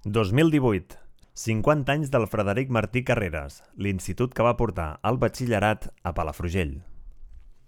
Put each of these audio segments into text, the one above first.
2018. 50 anys del Frederic Martí Carreras, l'institut que va portar el batxillerat a Palafrugell.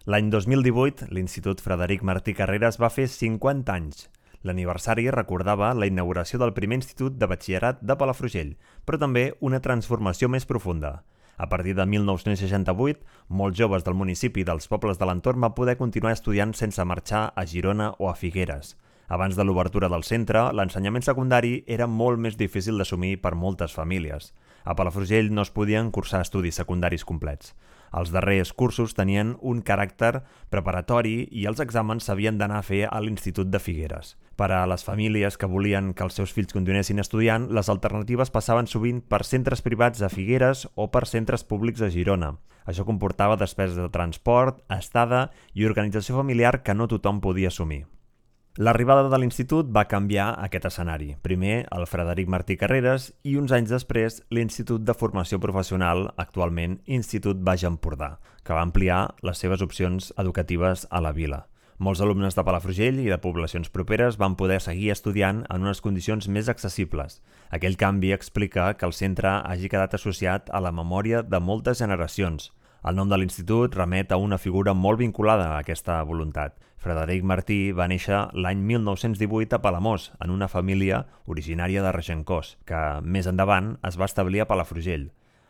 L'any 2018, l'Institut Frederic Martí Carreras va fer 50 anys. L'aniversari recordava la inauguració del primer institut de batxillerat de Palafrugell, però també una transformació més profunda. A partir de 1968, molts joves del municipi i dels pobles de l'entorn van poder continuar estudiant sense marxar a Girona o a Figueres. Abans de l'obertura del centre, l'ensenyament secundari era molt més difícil d'assumir per moltes famílies. A Palafrugell no es podien cursar estudis secundaris complets. Els darrers cursos tenien un caràcter preparatori i els exàmens s'havien d'anar a fer a l'Institut de Figueres. Per a les famílies que volien que els seus fills continuessin estudiant, les alternatives passaven sovint per centres privats a Figueres o per centres públics a Girona. Això comportava despeses de transport, estada i organització familiar que no tothom podia assumir. L'arribada de l'institut va canviar aquest escenari. Primer, el Frederic Martí Carreras i uns anys després, l'Institut de Formació Professional, actualment Institut Baix Empordà, que va ampliar les seves opcions educatives a la vila. Molts alumnes de Palafrugell i de poblacions properes van poder seguir estudiant en unes condicions més accessibles. Aquell canvi explica que el centre hagi quedat associat a la memòria de moltes generacions. El nom de l'institut remet a una figura molt vinculada a aquesta voluntat. Frederic Martí va néixer l'any 1918 a Palamós, en una família originària de Regencós, que més endavant es va establir a Palafrugell.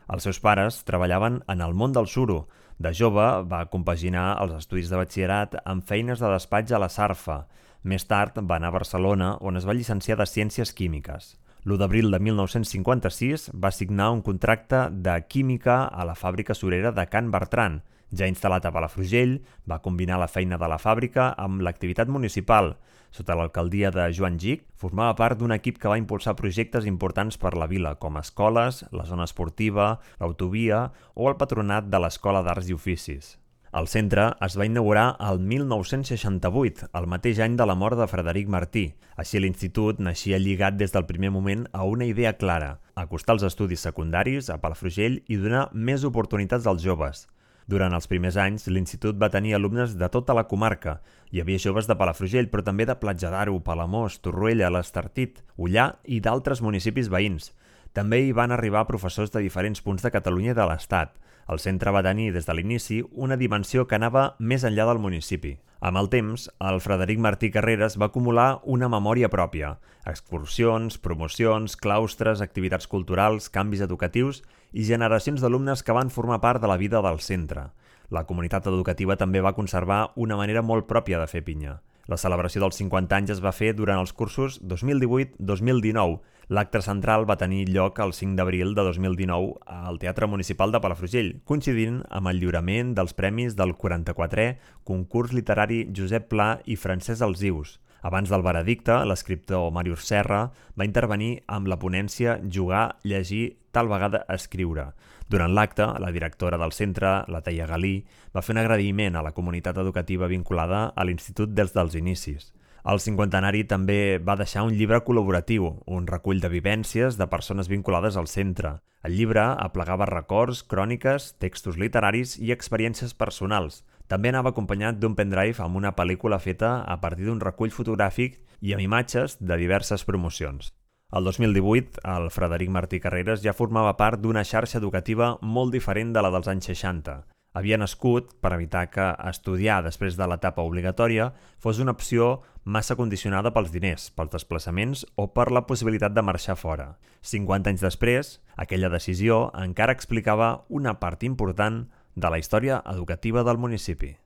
Els seus pares treballaven en el món del suro. De jove va compaginar els estudis de batxillerat amb feines de despatx a la Sarfa. Més tard va anar a Barcelona, on es va llicenciar de Ciències Químiques. L'1 d'abril de 1956 va signar un contracte de química a la fàbrica surera de Can Bertran. Ja instal·lat a Palafrugell, va combinar la feina de la fàbrica amb l'activitat municipal. Sota l'alcaldia de Joan Gich, formava part d'un equip que va impulsar projectes importants per la vila, com escoles, la zona esportiva, l'autovia o el patronat de l'Escola d'Arts i Oficis. El centre es va inaugurar el 1968, el mateix any de la mort de Frederic Martí. Així l'institut naixia lligat des del primer moment a una idea clara: acostar els estudis secundaris a Palafrugell i donar més oportunitats als joves. Durant els primers anys, l'institut va tenir alumnes de tota la comarca. Hi havia joves de Palafrugell, però també de Platja d'Aro, Palamós, Torroella, l'Estartit, Ullà i d'altres municipis veïns. També hi van arribar professors de diferents punts de Catalunya i de l'Estat. El centre va tenir des de l'inici una dimensió que anava més enllà del municipi. Amb el temps, el Frederic Martí Carreras va acumular una memòria pròpia. Excursions, promocions, claustres, activitats culturals, canvis educatius i generacions d'alumnes que van formar part de la vida del centre. La comunitat educativa també va conservar una manera molt pròpia de fer pinya. La celebració dels 50 anys es va fer durant els cursos 2018-2019. L'acte central va tenir lloc el 5 d'abril de 2019 al Teatre Municipal de Palafrugell, coincidint amb el lliurament dels premis del 44è concurs literari Josep Pla i Francesc Alsius. Abans del veredicte, l'escriptor Màrius Serra va intervenir amb la ponència Jugar, llegir, tal vegada escriure. Durant l'acte, la directora del centre, la Teia Galí, va fer un agraïment a la comunitat educativa vinculada a l'institut des dels inicis. El cinquantenari també va deixar un llibre col·laboratiu, un recull de vivències de persones vinculades al centre. El llibre aplegava records, cròniques, textos literaris i experiències personals. També anava acompanyat d'un pendrive amb una pel·lícula feta a partir d'un recull fotogràfic i amb imatges de diverses promocions. El 2018, el Frederic Martí Carreras ja formava part d'una xarxa educativa molt diferent de la dels anys 60. Havia nascut per evitar que estudiar després de l'etapa obligatòria fos una opció massa condicionada pels diners, pels desplaçaments o per la possibilitat de marxar fora. 50 anys després, aquella decisió encara explicava una part important de la història educativa del municipi.